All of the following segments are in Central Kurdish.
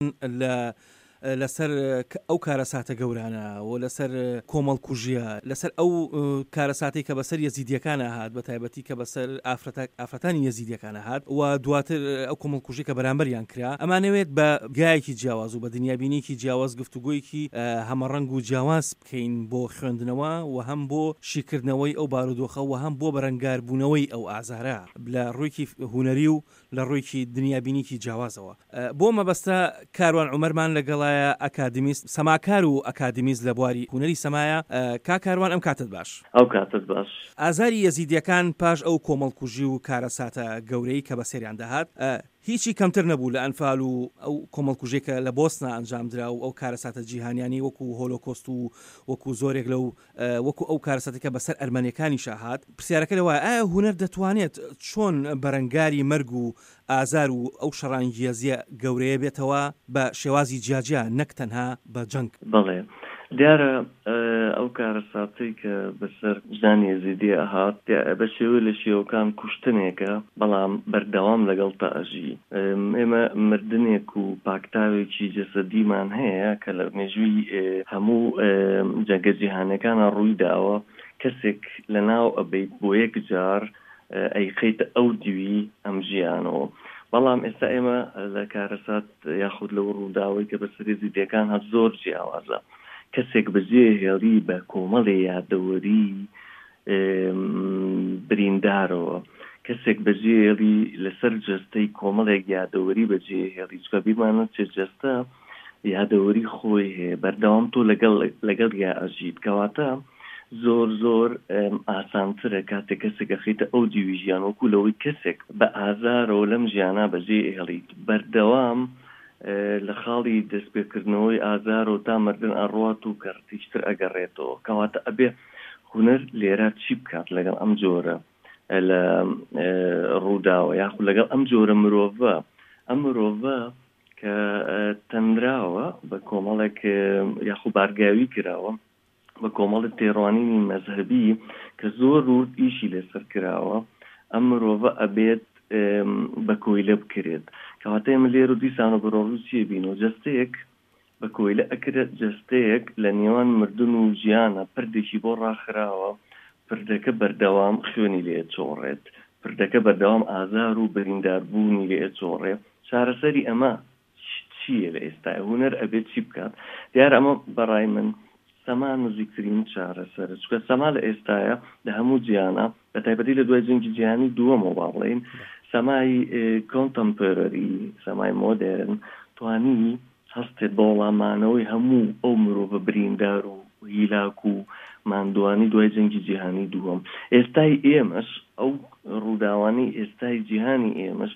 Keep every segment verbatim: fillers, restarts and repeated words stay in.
لە لەسەر ئەو کارەساتە گەورانە و لەسەر کۆمەڵکوژیە، لەسەر ئەو کارەساتەی کە بەسەر یەزیدیەکانە هات، بە تایبەتی کە بەسەر ئافرەتانی یەزیدیەکانە هات و دواتر ئەو کۆمەڵکوژی کە بەرامبەریان کرا، ئەمانەوێت بە گایەکی جیاواز و بە دنیابینێکی جیاواز گفتوگۆیەکی هەمەڕەنگ و جیاواز بکەین بۆ خوێندنەوە و هەم بۆ شیکردنەوەی ئەو بارودۆخە و هەم بۆ بەرەنگاربوونەوەی ئەو ئازارە لە ڕوویکی هونەری و لە ڕوویکی دنیابینێکی جیاوازەوە. بۆ مەبەستە کاروان عومەرمان لەگەڵایە، ئەکادیمیست، سەماکار و ئەکادیمیست لە بواری هونەری سەمایە. کا کاروان، ئەم کاتت باش. ئەو کاتت باش. ئازاری یەزیدیەکان پاش ئەو کۆمەڵکوژی و کارەساتە گەورەی کە بەسەریان دەهات هیچی کەمتر نەبوو لە ئەنفال و ئەو کۆمەڵکوژێکە لە بۆسنا ئەنجامدرا و ئەو کارەساتە جیهانیانی وەکو هۆلۆکۆست و وەکو زۆرێک لەو وەکو ئەو کارەساتێکە بەسەر ئەرمەنیەکانیشا هات. پرسیارەکە لەوایە ئایا هونەر دەتوانێت چۆن بەرەنگاری مەرگ و ئازار و ئەو شەڕانگێزیە گەورەیە بێتەوە بە شێوازی جیاجیا نەک تەنها بە جەنگ؟ بەڵێ، دیارە ئەو کارەساتەی کە بەسەر ژنانی یەزیدی ئەهات بە شێوەی لە شێوەکان کوشتنێکە، بەڵام بەردەوام لەگەڵ تا ئەژی. ئێمە مردنێک و پاکتاوێکی جەسەدیمان هەیە کە لە مێژووی هەموو جەنگە جیهانەکانە ڕووی داوە، کەسێک لە ناو ئەبەیت بۆ یەک جار ئەیخەیتە ئەو دیوی ئەم ژیانەوە. بەڵام ئێستا ئێمە لە کارەسات یاخود لەو ڕووداوەی کە بەسەر یەزیدیەکان هات زۆر جیاوازە. کەسێک بەجێ هێڵی بە کۆمەڵێ یادەوەری بریندارەوە، کەسێک بەجێ هێڵی لەسەر جەستەی کۆمەڵێک یادەوەری بەجێ هێڵی، چونکە بیرمان نەچێت جەستە یادەوەری خۆی هەیە، بەردەوام تۆ لەگەڵ لەگەڵ یا ئەژیت. کەواتە زۆر زۆر ئاسانترە کاتێک کەسێک ئەخەیتە ئەو دیوی ژیان وەکو لەوەی کەسێک بە ئازارەوە لەم ژیانە بەجێ هێڵیت، بەردەوام لە خاڵی دەستپێکردنەوەی ئازار و تا مردن ئەڕوات و کەڕتیشتر ئەگەڕێتەوە. کەواتە ئەبێ هونەر لێرە چی بکات لەگەڵ ئەم جۆرە لە ڕووداوە یاخود لەگەڵ ئەم جۆرە مرۆڤە؟ ئەم مرۆڤە کە تەنراوە بە کۆمەڵێک یاخود بارگاوی کراوە بە کۆمەڵی تێڕوانینی مەزهەبی کە زۆر ورد ئیشی لەسەر کراوە، ئەم مرۆڤە ئەبێت بە کۆیلە بکرێت. کەواتە ئێمە لێرە دیسان و بەرۆڕوو چیە بینەوە؟ جەستەیەک بە کۆیلە ئەکرێت، جەستەیەک لە نێوان مردن و ژیانە پردێکی بۆ ڕاخراوە، پردەکە بەردەوام خوێنی لێ چۆڕێت، پردەکە بەردەوام ئازار و برینداربوونی لێ چۆڕێ. چارەسەری ئەمە چییە لە ئێستا؟ هونەر ئەبێت چی بکات؟ دیارە ئەمە بەڕای من سەما نزیکترین چارەسەرە، چونکە سەما لە ئێستاە لە هەموو جیهانە، بە تایبەتی لە دوای جەنگی جیهانی دووەمەوە با بڵێین سەمای کۆنتەمپۆرەری، سەمای مۆدێرن توانی هەستێت بە وەڵامانەوەی هەموو ئەو مرۆڤە بریندار و هیلاک و ماندوانی دوای جەنگی جیهانی دووەم. ئێستای ئێمەش ئەو ڕووداوانی ئێستای جیهانی ئێمەش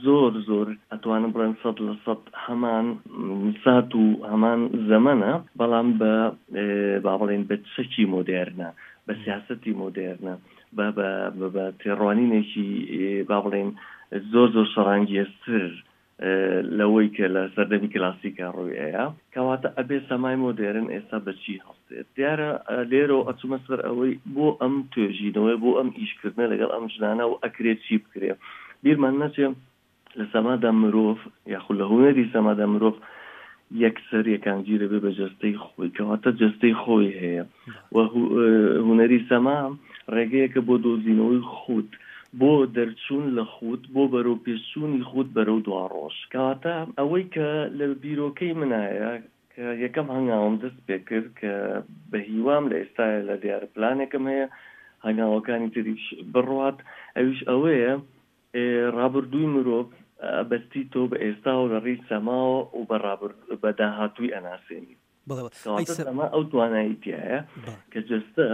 زۆر زۆر ئەتوانم بڵێن سەد لە سەد هەمان سات و هەمان زەمەنە، بەڵام بە با بڵێن بە چەکی مۆدێرنە، بە سیاسەتی مۆدێرنە، بە تێڕوانینێکی با بڵێن زۆر زۆر شەڕانگێزتر لەوەی کە لە سەردەمی کلاسیکا ڕووی ئەیە. کەواتە ئەبێ سەمای مۆدێرن ئێستا بەچی هەڵسێت؟ دیارە لێرەوە ئەچوومە سەر ئەوەی بۆ ئەم توێژینەوەی، بۆ ئەم ئیشکردنە لەگەڵ ئەم ژنانە و ئەکرێت چی بکرێ. بیرمان نەچێ لە سەمادا مرۆڤ یاخود لە هونەری سەمادا مرۆڤ یەکسەر یەکانگیرە بێ بە جەستەی خۆی، کەواتە جەستەی خۆی هەیە و هونەری سەما ڕێگەیەکە بۆ دۆزینەوەی خود، بۆ دەرچوون لە خود، بۆ بەرەو پێشچوونی خود بەرەو دواڕۆژ. کەواتە ئەوەی کە لە بیرۆکەی منایە کە یەکەم هەنگاوم دەست پێ کرد کە بە هیوام لە ئێستاە لە دیارە پلانێکم هەیە هەنگاوەکانی تریش بڕوات، ئەویش ئەوەیە ڕابردووی مرۆڤ بەستی تۆ بە ئێستاوە لە ڕێی سەماوە و بە داهاتووی ئەناسێنی. کەواتە سەما ئەو توانایی تایە کە جەستە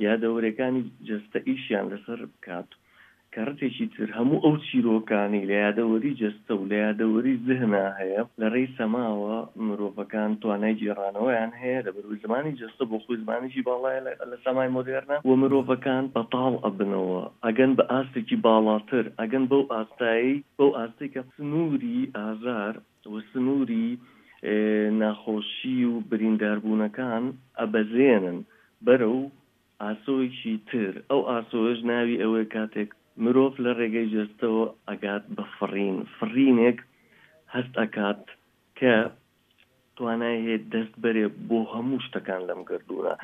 یادەوەرەکانی جەستە ئیشیان لەسەر بکات، کەڕتێکی تر هەموو ئەو چیرۆکانی لە یادەوەری جەستە و لە یادەوەری زهنا هەیە لە ڕێی سەماوە مرۆڤەکان توانای گێڕانەوەیان هەیە، لەبەرئەوەی زمانی جەستە بۆ خۆی زمانێکی باڵایە لە سەمای مۆدێرنە و مرۆڤەکان بەتاڵ ئەبنەوە، ئەگەن بە ئاستێکی باڵاتر، ئەگەن بەو ئاستایی بەو ئاستێک کە سنووری ئازار و سنووری ناخۆشی و برینداربوونەکان ئەبەزێنن بەرەو ئاسۆیەکی تر. ئەو ئاسۆیەش ناوی ئەوەیە کاتێک مرۆڤ لە ڕێگەی جەستەوە ئەگات بە فڕین، فڕینێک هەست ئەکات کە توانای هەیە دەست بەرێ بۆ هەموو شتەکان لەم گردونە،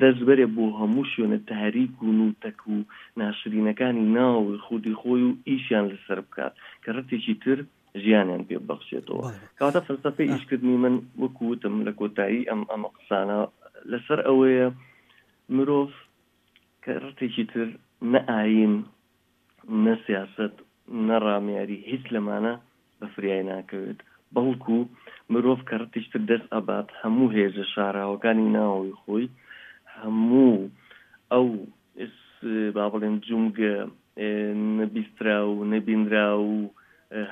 دەست بەرێ بۆ هەموو شوێنە تاریک و نوتەک و ناشرینەکانی ناوی خودی خۆی و ئیشیان لەسەر بکات کە ڕەتێکی تر ژیانیان پێ ببەخشێتەوە. کەواتە فەلسەفەی ئیشکردنی من وەکو وتم لە کۆتایی ئەم ئەمە قسانە لەسەر ئەوەیە مرۆڤ کە ڕەتێکی تر نە ئایین نە سیاسەت نە ڕامیاری هیچ لەمانە بە فریای ناکەوێت، بەڵکو مرۆڤ کە ڕەتێکی تر دەست ئەبات هەموو هێزە شاراوەکانی ناوەوەی خۆی، هەموو ئەو با بڵێن جومگە نەبیستراو و نەبینراو و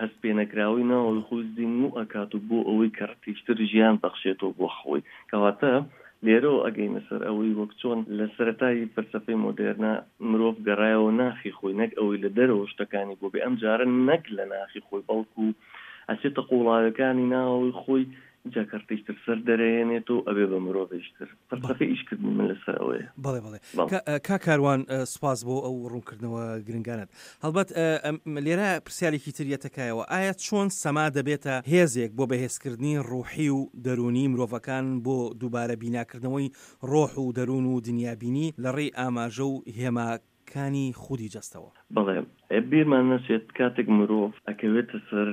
هەست پێنەکراوەی ناوەوەی خۆی زیندوو ئەکات و بۆ ئەوەی کە ڕەتێکی تر ژیان بەخشێتەوە بۆ خۆی. کەواتە لێرەوە ئەگەینە سەر ئەوەی وەک چۆن لە سەرەتای فەلسەفەی مۆدێرنا مرۆڤ گەڕایەوە ناخی خۆی، نەک ئەوەی لە دەرەوە شتەکانی بۆ بێ، ئەم جارە نەک لە ناخی خۆی بەڵکو ئەچێتە قوڵاوەکانی ناوەوەی خۆی، ئینجا کە ڕەتێکی تر سەر دەرەهێنێتەوە ئەبێ بە مرۆڤێکی تر. فەلسەفەی ئیشکردنی من لەسەر ئەوەیە. بەڵێ بەڵێ کاک کاروان، سوپاس بۆ ئەو ڕوونکردنەوە گرنگانەت. هەڵبەت لێرە پرسیارێکی تر یەتەکایەوە، ئایا چۆن سەما دەبێتە هێزێک بۆ بەهێزکردنی ڕوحی و دەروونی مرۆڤەکان بۆ دووبارە بیناکردنەوەی ڕۆح و دەروون و دنیابینی لە ڕێی ئاماژە و هێماکانی خودی جەستەوە؟ بەڵێ، بیرمان نەچێت کاتێک مرۆڤ ئەکەوێتە سەر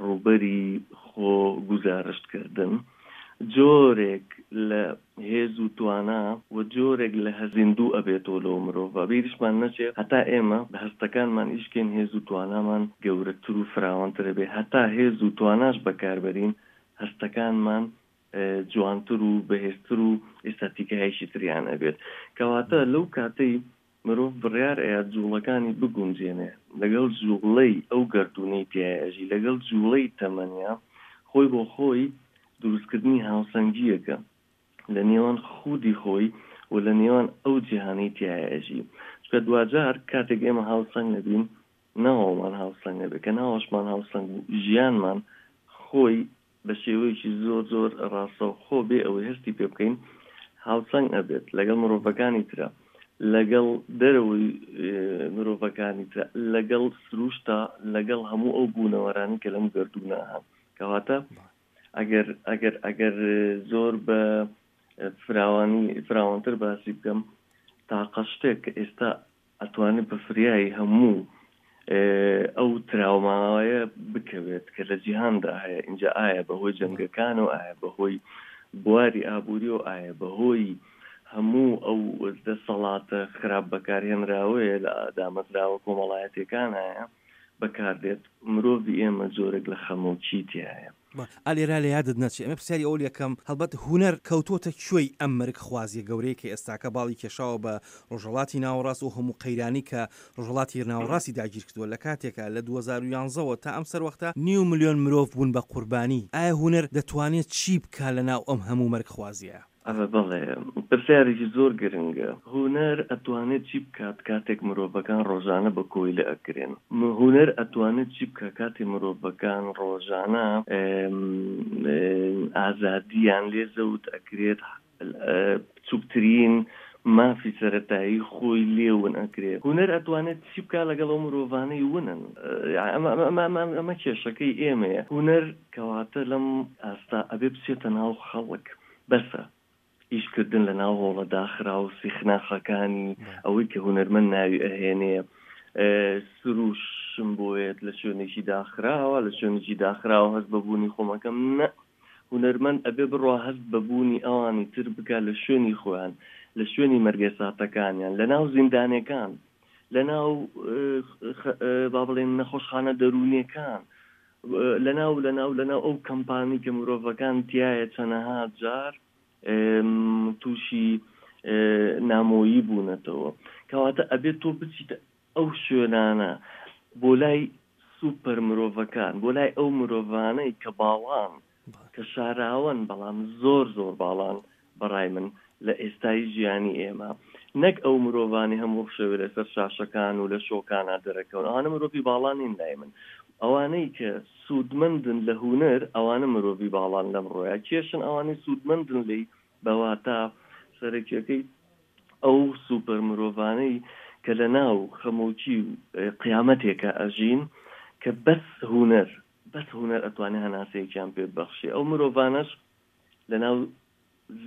ڕووبەری خۆ گوزارشتکردن، جۆرێک لە هێز و توانا و جۆرێک لە هەزیندوو ئەبێتەوە لەو مرۆڤە. بیریشمان نەچێت هەتا ئێمە بە هەستەکانمان ئیشکەین هێز و توانامان گەورەتر و فراوانتر ئەبێ، هەتا هێز و تواناش بەکاربەرین هەستەکانمان جوانتر و بەهێزتر و ئێستاتیکایەکی تریان ئەبێت. کەواتە لەو کاتەی مرۆڤ بڕیار ئەیات جوڵەکانی بگونجێنێ لەگەڵ جوڵەی ئەو گەردوونەی تیای ئەژی، لەگەڵ جوڵەی تەمەنیا، خۆی بۆ خۆی دروستکردنی هاوسەنگییەکە لە نێوان خودی خۆی و لە نێوان ئەو جیهانەی تیای ئەژی. چونکە دواجار کاتێک ئێمە هاوسەنگ نەبین، ناوەمان هاوسەنگ نەبێت، کە ناوەشمان هاوسەنگ بوو، ژیانمان خۆی بە شێوەیەکی زۆر زۆر ڕاستەوخۆ بێ ئەوەی هەستی پێ بکەین هاوسەنگ ئەبێت لەگەڵ مرۆڤەکانی ترە، لەگەڵ دەرەوەی مرۆڤەکانی ترە، لەگەڵ سروشتا، لەگەڵ هەموو ئەو بوونەوەرانی کە لەم گەردوونە هەن. کەواتە ئەگەر ئەگەر ئەگەر زۆر بە فراوانی فراوانتر باسی بکەم، تاقە شتێک کە ئێستا ئەتوانێت بە فریایی هەموو ئەو تراوماوەیە بکەوێت کە لە جیهاندا هەیە، اینجا ئایا بەهۆی جەنگەکان و ئایا بەهۆی بواری ئابووری و ئایا بەهۆی هەموو ئەو دەسەڵاتە خراپ بەکارهێنراوەیە لە دامەزراوە کۆمەڵایەتیەکان هەیە بەکاردێت، مرۆڤی ئێمە جۆرێک لە خەمۆکی تیایە. ئا لێرە لە یادت نەچێ ئەمە پرسیاری ئەوە لەکەم، هەڵبەت هونەر کەوتۆتە کوێی ئەم مەرگ خوازیە گەورەیە کە ئێستاکە باڵی کێشاوە بە ڕۆژهەڵاتی ناوەڕاست و هەموو قەیرانی کە ڕۆژهەڵاتی ناوەڕاستی داگیر کردووە، لە کاتێکا لە دوو هەزار و یازدە وە تا ئەم سەروەختە نیو ملیۆن مرۆڤ بوون بە قوربانی. ئایا هونەر دەتوانێت چی بکا لە ناو ئەم هەموو مەرگ خوازیە؟ ئەوە بەڵێ، پرسیارێکی زۆر گرنگە. هونەر ئەتوانێت چی بکات کاتێک مرۆڤەکان ڕۆژانە بە کۆیلە ئەکرێن؟ هونەر ئەتوانێت چی بکات کاتێ مرۆڤەکان ڕۆژانە ئازادیان لێ زەوت ئەکرێت، بچووکترین مافی سەرەتایی خۆی لێ ون ئەکرێ؟ هونەر ئەتوانێت چی بکات لەگەڵ ئەو مرۆڤانەی ونن؟ ئەمە کێشەکەی ئێمەیە. هونەر کەواتە لەم ئاستا ئەبێ بچێتە ناو خەڵک، بەسە ئیشکردن لە ناو هۆڵە داخرا و سیخناخەکانی ئەوەی کە هونەرمەند ناوی ئەهێنێ سروشم بۆیەت لە شوێنێکی داخراوە، لە شوێنێکی داخراوە هەست بە بوونی خۆمەکەم. نە، هونەرمەند ئەبێ بڕوا هەست بە بوونی ئەوانی تر بکات لە شوێنی خۆیان، لە شوێنی مەرگەساتەکانیان، لە ناو زیندانەکان، لە ناو با بڵێن نەخۆشخانە دەروونیەکان، لە ناو لە ناو لە ناو ئەو کەمپانی کە مرۆڤەکان تایە چەنەها جار تووشی نامۆیی بوونەتەوە. کەواتە ئەبێت تۆ بچیتە ئەو شوێنانە بۆ لای سوپەر مرۆڤەکان، بۆ لای ئەو مرۆڤانەی کە باڵان، کە شاراوەن، بەڵام زۆر زۆر باڵان بەڕای من لە ئێستای ژیانی ئێمە، نەک ئەو مرۆڤانی هەموو شەوێ لەسەر شاشەکان و لە شۆکانە دەرەکەون. ئەوانە مرۆڤی باڵان نین لای من. ئەوانەی کە سوودمەندن لە هونەر، ئەوانە مرۆڤی باڵان لەم ڕۆیە. کێشن ئەوانەی سوودمەندن لێی بەواتا سەرەکیەکەی ئەو سوپەر مرۆڤانەی کە لە ناو خەمۆکی و قیامەتێکە ئەژین، کە بەس هونەر بەس هونەر ئەتوانێ هەناسەیەکیان پێ ببەخشێ. ئەو مرۆڤانەش لەناو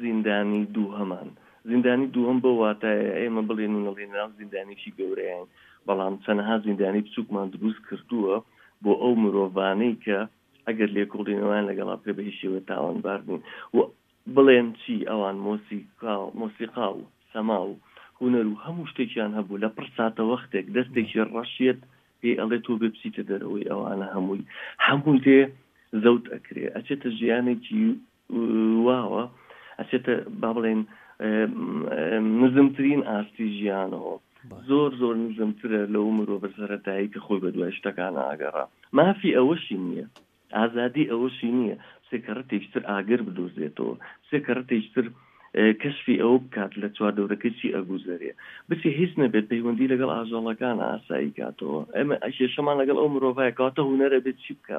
زیندانی دووهەمان، زیندانی دووهەم بەو واتایە ئێمە بڵێن و نەڵێن لەناو زیندانێکی گەورەیان، بەڵام چەنەها زیندانی بچووکمان دروست کردووە بۆ ئەو مرۆڤانەی کە ئەگەر لێکۆڵینەوەیان لەگەڵا بکرێ بە هیچ شێوەیە تاوانبار نین و بڵێن چی ئەوان مۆسیقا مۆسیقا و سەما و هونەر و هەموو شتێکیان هەبوو لە پڕ ساتە وەختێک دەستێکی ڕەشیەت پێی ئەڵێ تۆ بێ بچیتە دەرەوەی ئەوانە هەمووی هەمووی لێ زەوت ئەکرێ، ئەچێتە ژیانێکی واوە، ئەچێتە با بڵێن نزمترین ئاستی ژیانەوە، زۆر زۆر نزمترە لەو مرۆڤە سەرەتایی کە خۆی بە دوای شتەکان ئاگەڕا. مافی ئەوەشی نییە، ئازادی ئەوەشی نییە سێ کەڕەتێکی تر ئاگر بدۆزێتەوە، سێ کەڕەتێکی تر کەشفی ئەوە بکات لە چواردەورەکەی چی ئەگوزەرێ، بچێ هیچ نەبێت پەیوەندی لەگەڵ ئاژەڵەکان ئاسایی کاتەوە. ئێمە کێشەمان لەگەڵ ئەو مرۆڤایە، کەواتە هونەرە بێت چی بکە؟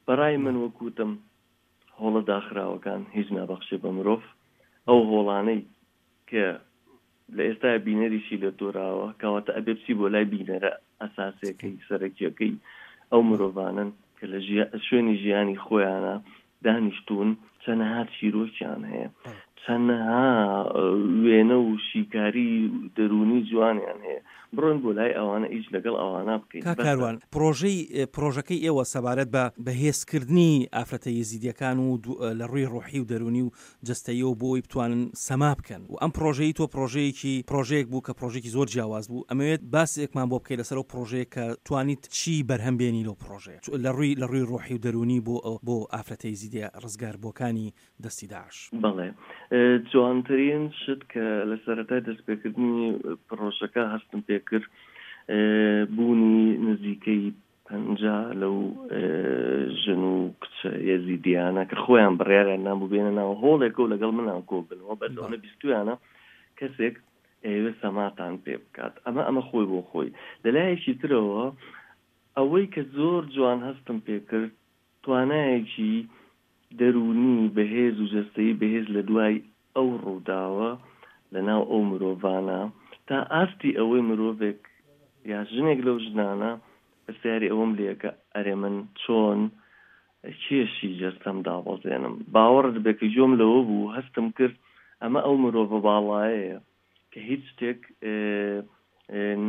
بەڕای من وەکوتم هۆڵە داخراوەکان هیچ نابەخشێ بە مرۆڤ. ئەو هۆڵانەی کە لە ئێستایا بینەریشی لە دۆراوە، کەواتە ئەبێ بچی بۆ لای بینەرە ئەساسیەکەی سەرەکیەکەی ئەو مرۆڤانن کە لە شوێنی ژیانی خۆیانە دانیشتوون، چەنەها چیرۆکیان هەیە، چەنەها وێنە و شیکاری دەروونی جوانیان هەیە، بڕۆن بۆ لای ئەوانە ئیش لەگەڵ ئەوانە بکەین. کاک کاروان، پرۆژەی پرۆژەکەی ئێوە سەبارەت بە بەهێزکردنی ئافرەتە یەزیدیەکان و لە ڕووی ڕۆحی و دەروونی و جەستەییەوە بۆ ئەوەی بتوانن سەما بکەن و ئەم پرۆژەی تۆ پرۆژەیەکی پرۆژەیەک بوو کە پرۆژێکی زۆر جیاواز بوو، ئەمەوێت باسێکمان بۆ بکەیت لەسەر ئەو پرۆژەیە کە توانیت چی بەرهەم بێنی لەو پرۆژەیە لە ڕووی لە ڕووی ڕۆحی و دەروونی بۆ بۆ ئافرەتە یەزیدیە ڕزگاربووەکانی دەستی داعش. بەڵێ، جوانترین شت کە لە سەرەتای دەستپێکردنی پرۆژەکە هەستم پێکرد بوونی نزیکەی پەنجا لەو ژن و کچە یەزیدیانە کە خۆیان بڕیاریان نابوو بێنە ناو هۆڵێکە و لەگەڵ منان کۆبنەوە، بەس ئەوەنە بیستویانە کەسێک ئەیەوێت سەماتان پێ بکات. ئەمە ئەمە خۆی بۆ خۆی. لەلایەکی ترەوە ئەوەی کە زۆر جوان هەستم پێکرد توانایەکی دەروونی بەهێز و جەستەیی بەهێز لە دوای ئەو ڕووداوە لەناو ئەو مرۆڤانە تا ئاستی ئەوەی مرۆڤێک یا ژنێک لەو ژنانە پرسیاری ئەوەم لێکە ئەرێ من چۆن کێشی جەستەم دابەزێنم. باوەڕت بێ کە گوێم لەوە بوو هەستم کرد ئەمە ئەو مرۆڤە باڵایەیە کە هیچ شتێک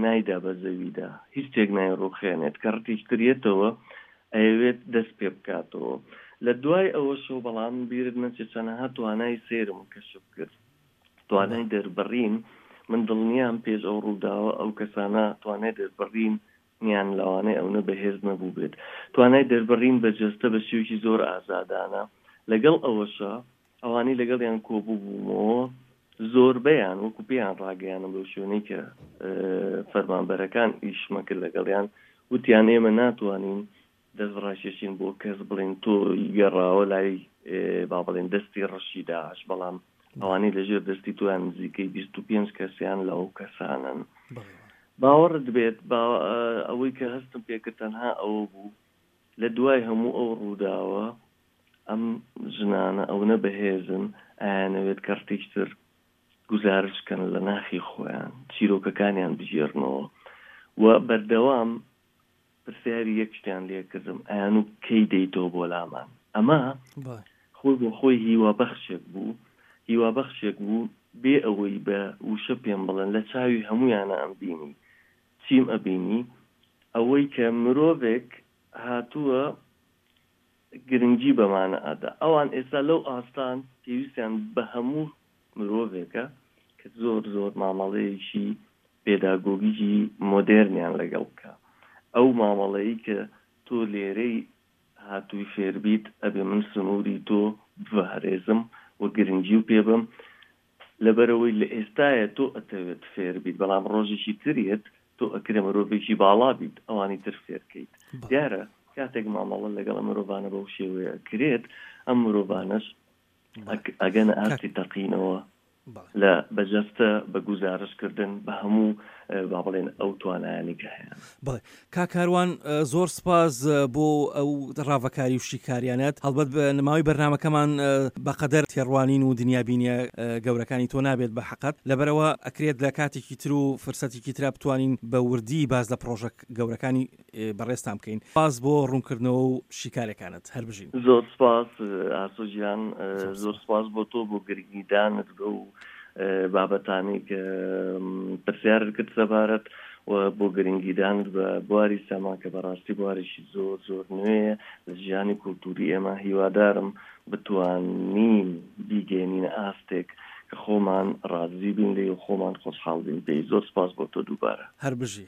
نایدا بە زەویدا، هیچ شتێک نایڕوخێنێت، کە ڕتیشتر یەتەوە ئەیەوێت دەست پێ بکاتەوە. لە دوای ئەوەشەوە بەڵام بیرت نەچێت چەنەها توانای سەیرم کەشف کرد، توانای دەربڕین. من دڵنیام پێش ئەو ڕووداوە ئەو کەسانە توانای دەربڕین نیان لەوانەیە ئەونە بەهێز نەبوو بێت، توانای دەربڕین بە جەستە بە شێوەیەکی زۆر ئازادانە. لەگەڵ ئەوەشە ئەوانەی لەگەڵیان کۆبوو بوومەوە زۆربەیان وەکو پێیان ڕاگەیانم لەو شوێنەی کە فەرمانبەرەکان ئیشمە کرد لەگەڵیان، وتیان ئێمە ناتوانین دەست ڕاکێشین بۆ کەس بڵێن تۆ گەڕاوە لای با بڵێن دەستی ڕەشی داعش، بەڵام ئەوانەی لەژێر دەستی تۆیان نزیکەی بیست و پێنج کەسیان لەو کەسانن. باوەڕت بێت ئەوەی کە هەستم پێکرد تەنها ئەوە بوو لە دوای هەموو ئەو ڕووداوە ئەم ژنانە ئەونە بەهێزن ئایانەوێت کەڕتێکتر گوزارش کەن لە ناخی خۆیان، چیرۆکەکانیان بگێڕنەوە و بەردەوام پرسیاری یەک شتیان لێکردم، ئەیان و کەی دەیتەوە بۆ لامان. ئەمە خۆی بۆ خۆی هیوابەخشێک بوو، هیوابەخشێک بوو بێ ئەوەی بە وشە پێم بڵێن، لە چاوی هەمویانە ئەم بینی چیم ئەبینی، ئەوەی کە مرۆڤێک هاتووە گرنگی بەمانە ئەدا. ئەوان ئێستا لەو ئاستان پێویستیان بە هەموو مرۆڤێکە کە زۆر زۆر مامەڵەیەکی پێداگۆگیکی مۆدێرنیان لەگەڵ بکە. ئەو مامەڵەیە کە تۆ لێرەی هاتووی فێربیت ئەبێ من سنووری تۆ بپارێزم و گرنگی و پێ بم، لەبەرەوەی لە ئێستاە تۆ ئەتەوێت فێربیت، بەڵام ڕۆژێکی تریت تۆ ئەکرێ مرۆڤێکی باڵا بیت ئەوانی تر فێرکەیت. دیارە کاتێک مامەڵە لەگەڵ مرۆڤانە بەو شێوەیە کرێت، ئەم مرۆڤانەش ئەگەنە ئاستی تەقینەوە لە بەجەستە، بە گوزارشکردن، بە هەموو با بڵێن ئەو توانایانی کە هەیە. بەڵێ کاک کاروان، زۆر سپاس بۆ ئەو ڕاڤەکاری و شیکاریانەت. هەڵبەت ماوەی بەرنامەکەمان بەقەدەر تێڕوانین و دنیابینیە گەورەکانی تۆ نابێت بە حەقەت، لەبەرەوە ئەکرێت لە کاتێکی تر و فرسەتێکی ترا بتوانین بە وردی باس لە پرۆژە گەورەکانی بەڕێزتان بکەین. سپاس بۆ ڕوونکردنەوە و شیکارەکانت، هەر بژین. زۆر سپاس ئاسۆ گیان، زۆر سپاس بۆ تۆ بۆ گرنگیدانت بەو بابەتانی کە پرسیارت کرد سەبارەت و بۆ گرنگیدانت بە بواری سەما کە بەڕاستی بوارێکی زۆر زۆر نوێیە لە ژیانی کولتوری ئێمە. هیوادارم بتوانین بیگەێنینە ئاستێک کە خۆمان ڕازی بین لێ و خۆمان خۆشحاڵ بین پێی. زۆر سپاس بۆ تۆ دووبارە. هەر بژی.